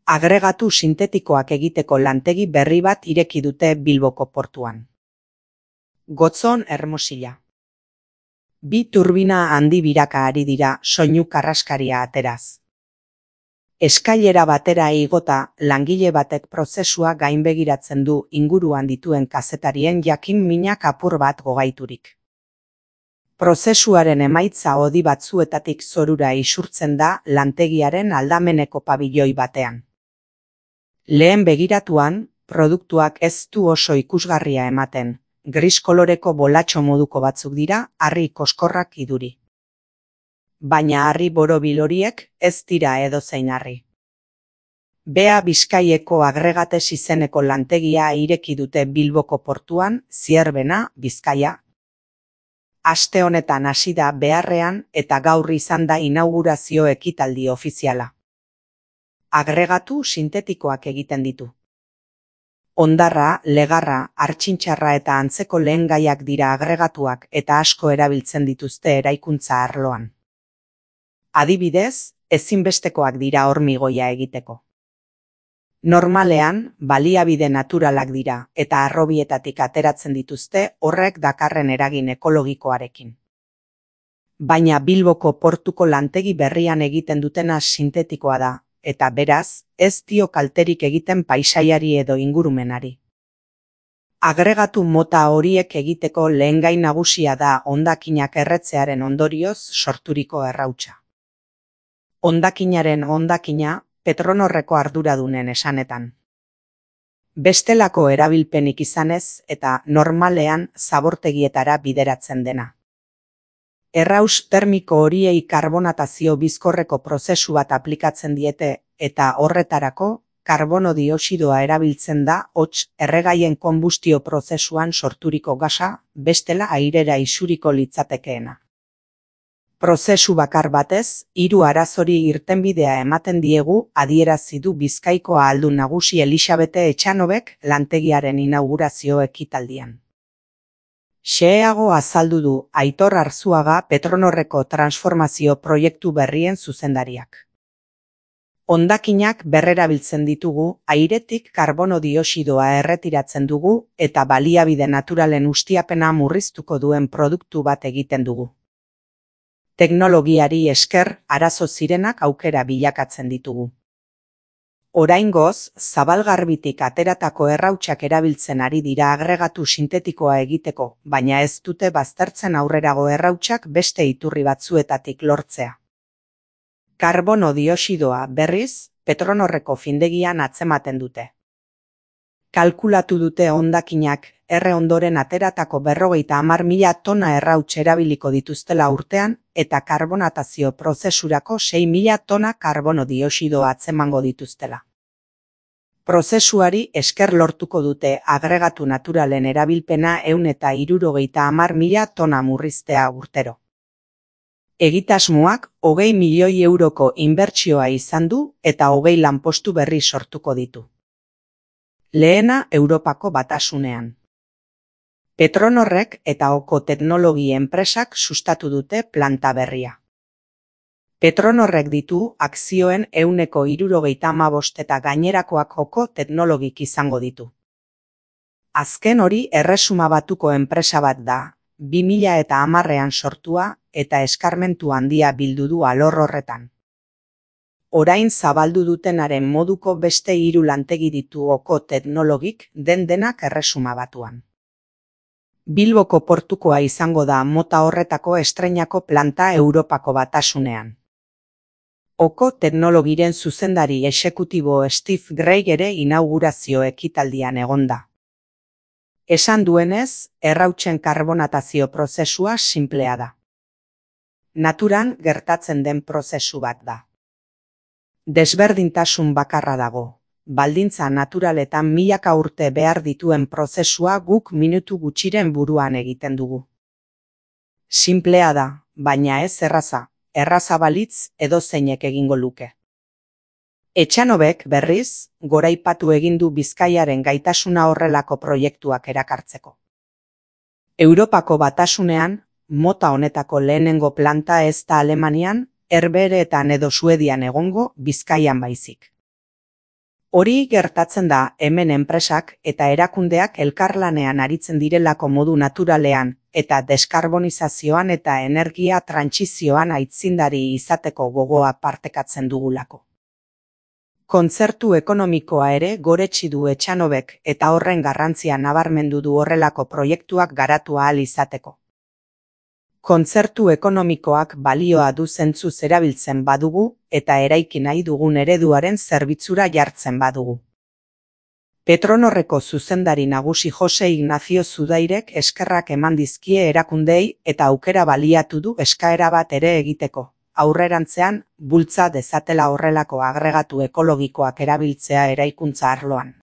Agregatu sintetikoak egiteko lantegi berri bat ireki dute Bilboko portuan. Gotzon Hermosilla. Bi turbina handi biraka ari dira soinu karraskaria ateraz. Eskailera batera igota, langile batek prozesua gainbegiratzen du inguruan dituen kazetarien jakin minak apur bat gogaiturik. Prozesuaren emaitza hodi batzuetatik zorura isurtzen da lantegiaren aldameneko pabilloi batean. Lehen begiratuan, produktuak ez du oso ikusgarria ematen, gris koloreko bolatxo moduko batzuk dira harri koskorrak iduri. Baina harri borobil horiek ez dira edozein harri. Bea Bizkaieko Agregates izeneko lantegia ireki dute Bilboko portuan, Zierbena, Bizkaia. Aste honetan hasi da beharrean eta gaur izan da inaugurazio ekitaldi ofiziala. Agregatu sintetikoak egiten ditu. Hondarra, legarra, hartxintxarra eta antzeko lehengaiak dira agregatuak eta asko erabiltzen dituzte eraikuntza arloan. Adibidez, ezinbestekoak dira hormigoia egiteko. Normalean, baliabide naturalak dira eta harrobietatik ateratzen dituzte horrek dakarren eragin ekologikoarekin. Baina Bilboko portuko lantegi berrian egiten dutena sintetikoa da, eta beraz, ez dio kalterik egiten paisaiari edo ingurumenari. Agregatu mota horiek egiteko lehengai nagusia da hondakinak erretzearen ondorioz sorturiko errautsa. Hondakinaren hondakina, Petronorreko arduradunen esanetan. Bestelako erabilpenik izanez eta normalean zabortegietara bideratzen dena. Erraus termiko horiei karbonatazio bizkorreko prozesu bat aplikatzen diete eta horretarako karbono dioxidoa erabiltzen da hots erregaien konbustio prozesuan sorturiko gasa, bestela airera isuriko litzatekeena. Prozesu bakar batez, 3 arazori irtenbidea ematen diegu adierazi du Bizkaiko ahaldun nagusi Elisabete Etxanobek lantegiaren inaugurazio ekitaldian. Xeheago azaldu du Aitor Arzuaga Petronorreko transformazio proiektu berrien zuzendariak. Hondakinak berrerabiltzen ditugu, airetik karbono dioxidoa erretiratzen dugu eta baliabide naturalen ustiapena murriztuko duen produktu bat egiten dugu. Teknologiari esker arazo zirenak aukera bilakatzen ditugu. Oraingoz, zabalgarbitik ateratako errautsak erabiltzen ari dira agregatu sintetikoa egiteko, baina ez dute baztertzen aurrerago errautsak beste iturri batzuetatik lortzea. Karbono dioxidoa berriz, Petronorreko findegian atzematen dute. Kalkulatu dute hondakinak erre ondoren ateratako 50.000 tona errauts erabiliko dituztela urtean eta karbonatazio prozesurako 6.000 tona karbono dioxidoa atzemango dituztela. Prozesuari esker lortuko dute agregatu naturalen erabilpena 170.000 tona murriztea urtero. Egitasmoak 20 milioi euroko inbertsioa izan du eta 20 lanpostu berri sortuko ditu. Lehena Europako Batasunean. Petronorrek eta Oko Teknologi enpresak sustatu dute planta berria. Petronorrek ditu akzioen 75% eta gainerakoak Oko Teknologik izango ditu. Azken hori Erresuma Batuko enpresa bat da, 2010ean sortua eta eskarmentu handia bildu du alor horretan. Orain zabaldu dutenaren moduko beste 3 lantegi ditu Oko Teknologik denak Erresuma Batuan. Bilboko portukoa izango da mota horretako estreinako planta Europako Batasunean. Oko Teknologiren zuzendari exekutibo Steve Greig ere inaugurazio ekitaldian egonda. Esan duenez, errautsen karbonatazio prozesua sinplea da. Naturan gertatzen den prozesu bat da. Desberdintasun bakarra dago. Baldintza naturaletan milaka urte behar dituen prozesua guk minutu gutxiren buruan egiten dugu. Sinplea da, baina ez erraza, erraza balitz edozeinek egingo luke. Etxanobek berriz, goraipatu egin du Bizkaiaren gaitasuna horrelako proiektuak erakartzeko. Europako Batasunean, mota honetako lehenengo planta ez da Alemanian, Herbehereetan edo Suedian egongo, Bizkaian baizik. Hori gertatzen da hemen enpresak eta erakundeak elkarlanean aritzen direlako modu naturalean eta deskarbonizazioan eta energia trantsizioan aitzindari izateko gogoa partekatzen dugulako. Kontzertu ekonomikoa ere goretsi du Etxanobek eta horren garrantzia nabarmendu du horrelako proiektuak garatu ahal izateko. Kontzertu ekonomikoak balioa du zentzuz erabiltzen badugu eta eraiki nahi dugun ereduaren zerbitzura jartzen badugu. Petronorreko zuzendari nagusi Jose Ignacio Zudairek eskerrak eman dizkie erakundeei eta aukera baliatu du eskaera bat ere egiteko, aurrerantzean bultza dezatela horrelako agregatu ekologikoak erabiltzea eraikuntza arloan.